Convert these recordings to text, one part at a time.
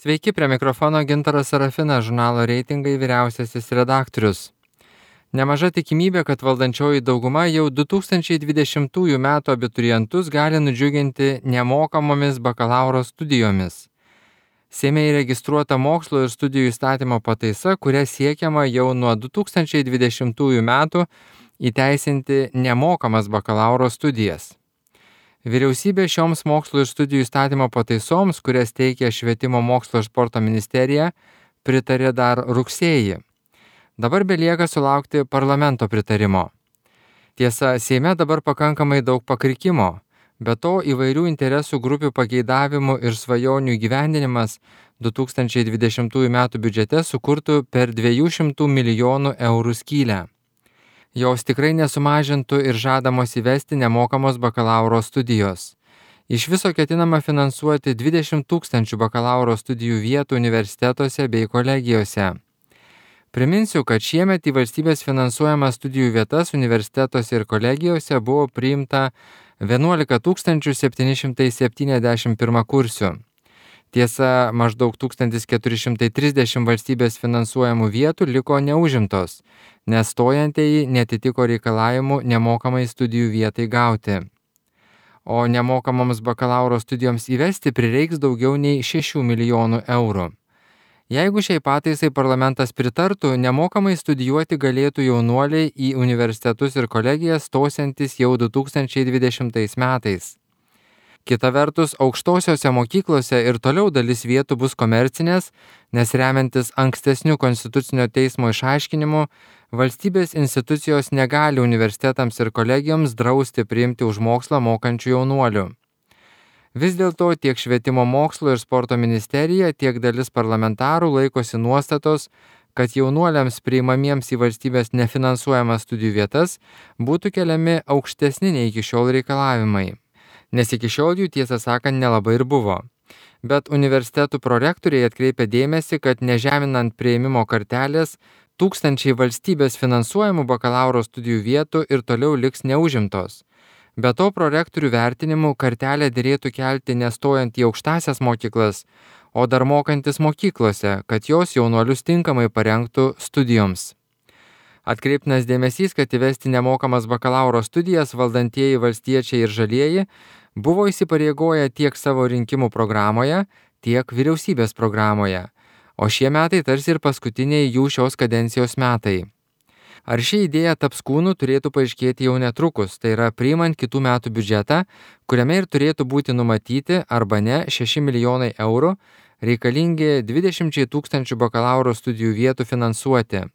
Sveiki, prie mikrofono Gintaras Sarafinas, žurnalo Reitingai vyriausiasis redaktorius. Nemaža tikimybė, kad valdančioji dauguma jau 2020 m. abiturientus gali nudžiuginti nemokamomis bakalauro studijomis. Seime įregistruota mokslo ir studijų įstatymo pataisa, kuria siekiama jau nuo 2020 m. įteisinti nemokamas bakalauro studijas. Vyriausybė šioms mokslo ir studijų įstatymo pataisoms, kurias teikia Švietimo mokslo ir sporto ministerija, pritarė dar rugsėjį. Dabar belieka sulaukti parlamento pritarimo. Tiesa, Seime dabar pakankamai daug pakrikimo, be to įvairių interesų grupių pageidavimų ir svajonių įgyvendinimas 2020 m. biudžete sukurtų per 200 milijonų eurų skylę. Jos tikrai nesumažintų ir žadamos įvesti nemokamos bakalauro studijos. Iš viso ketinama finansuoti 20 000 bakalauro studijų vietų universitetuose bei kolegijose. Priminsiu, kad šiemet į valstybės finansuojamas studijų vietas universitetuose ir kolegijose buvo priimta 11 771 kursių. Tiesa, maždaug 1430 valstybės finansuojamų vietų liko neužimtos, nes stojantieji netitiko reikalavimų nemokamai studijų vietai gauti. O nemokamoms bakalauro studijoms įvesti prireiks daugiau nei 6 milijonų eurų. Jeigu šiai pataisai parlamentas pritartų, nemokamai studijuoti galėtų jaunuoliai į universitetus ir kolegijas stosiantis jau 2020 metais. Kita vertus, aukštosiose mokyklose ir toliau dalis vietų bus komercinės, nes remiantis ankstesniu Konstitucinio teismo išaiškinimu, valstybės institucijos negali universitetams ir kolegijoms drausti priimti už mokslą mokančių jaunuolių. Vis dėlto tiek Švietimo mokslo ir sporto ministerija, tiek dalis parlamentarų laikosi nuostatos, kad jaunuoliams priimamiems į valstybės nefinansuojamas studijų vietas būtų keliami aukštesni nei iki šiol reikalavimai. Nes iki šiol jų tiesą sakant nelabai ir buvo. Bet universitetų prorektoriai atkreipia dėmesį, kad nežeminant priėmimo kartelės, tūkstančiai valstybės finansuojamų bakalauro studijų vietų ir toliau liks neužimtos. Be to prorektorių vertinimų kartelę derėtų kelti nestojant į aukštąsias mokyklas, o dar mokantis mokyklose, kad jos jaunuolius tinkamai parengtų studijoms. Atkreiptinas dėmesys, kad įvesti nemokamas bakalauro studijas valdantieji valstiečiai ir žalieji buvo įsipareigoję tiek savo rinkimų programoje, tiek vyriausybės programoje, o šie metai tarsi ir paskutiniai jų šios kadencijos metai. Ar ši idėja taps kūnu turėtų paaiškėti jau netrukus, tai yra priimant kitų metų biudžetą, kuriame ir turėtų būti numatyti arba ne 6 milijonai eurų, reikalingi 20 000 bakalauro studijų vietų finansuoti.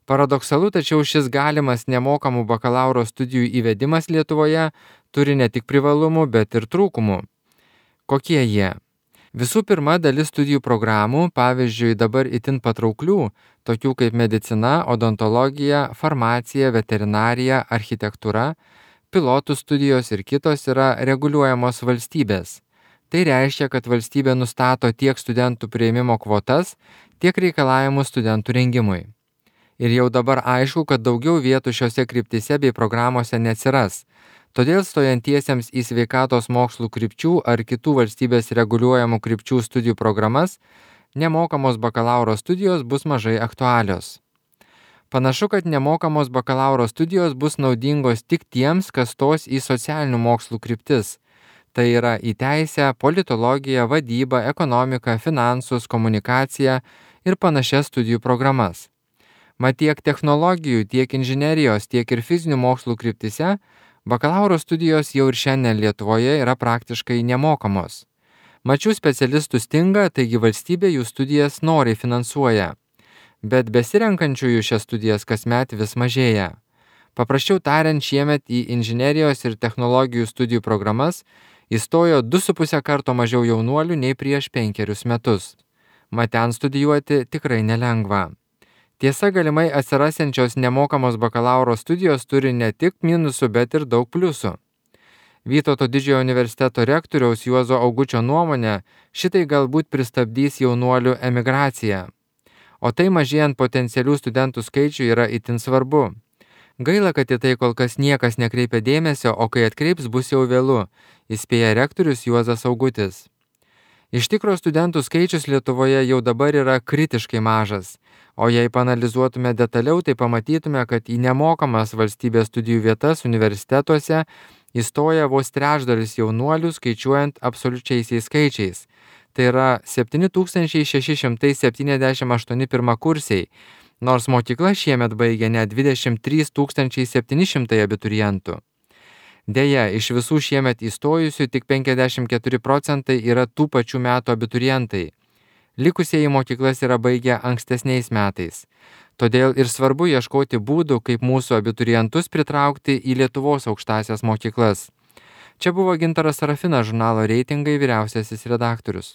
Paradoksalu, tačiau šis galimas nemokamų bakalauro studijų įvedimas Lietuvoje turi ne tik privalumų, bet ir trūkumų. Kokie jie? Visų pirma, dalis studijų programų, pavyzdžiui, dabar itin patrauklių, tokių kaip medicina, odontologija, farmacija, veterinarija, architektūra, pilotų studijos ir kitos yra reguliuojamos valstybės. Tai reiškia, kad valstybė nustato tiek studentų priėmimo kvotas, tiek reikalavimus studentų rengimui. Ir jau dabar aišku, kad daugiau vietų šiose kryptise bei programuose neatsiras. Todėl stojantiesiems į sveikatos mokslų krypčių ar kitų valstybės reguliuojamų krypčių studijų programas nemokamos bakalauro studijos bus mažai aktualios. Panašu, kad nemokamos bakalauro studijos bus naudingos tik tiems, kas stos į socialinių mokslų kryptis. Tai yra į teisę, politologiją, vadybą, ekonomiką, finansus, komunikaciją ir panašias studijų programas. Mat tiek technologijų, tiek inžinerijos, tiek ir fizinių mokslų kryptise bakalauro studijos jau ir šiandien Lietuvoje yra praktiškai nemokamos. Mačių specialistų stinga, taigi valstybė jų studijas noriai finansuoja. Bet besirenkančiųjų šias studijas kasmet vis mažėja. Paprasčiau tariant, šiemet į inžinerijos ir technologijų studijų programas įstojo 2,5 karto mažiau jaunuolių nei prieš 5 metus. Mat ten studijuoti tikrai nelengva. Tiesa, galimai atsirasiančios nemokamos bakalauro studijos turi ne tik minusų, bet ir daug pliusų. Vytauto Didžiojo universiteto rektoriaus Juozo Augučio nuomonė, šitai galbūt pristabdys jaunuolių emigraciją. O tai mažėjant potencialių studentų skaičių yra itin svarbu. Gaila, kad į tai kol kas niekas nekreipia dėmesio, o kai atkreips bus jau vėlu, įspėja rektorius Juozas Augutis. Iš tikro studentų skaičius Lietuvoje jau dabar yra kritiškai mažas, o jei panalizuotume detaliau, tai pamatytume, kad į nemokamas valstybės studijų vietas universitetuose įstoja vos trečdalis jaunuolių skaičiuojant absoliučiaisiais skaičiais. Tai yra 7678 pirmakursiai, nors mokykla šiemet baigė net 23 700 abiturientų. Deja, iš visų šiemet įstojusių tik 54% yra tų pačių metų abiturientai. Likusieji mokyklas yra baigę ankstesniais metais. Todėl ir svarbu ieškoti būdų, kaip mūsų abiturientus pritraukti į Lietuvos aukštąsias mokyklas. Čia buvo Gintaras Sarafinas, žurnalo Reitingai vyriausiasis redaktorius.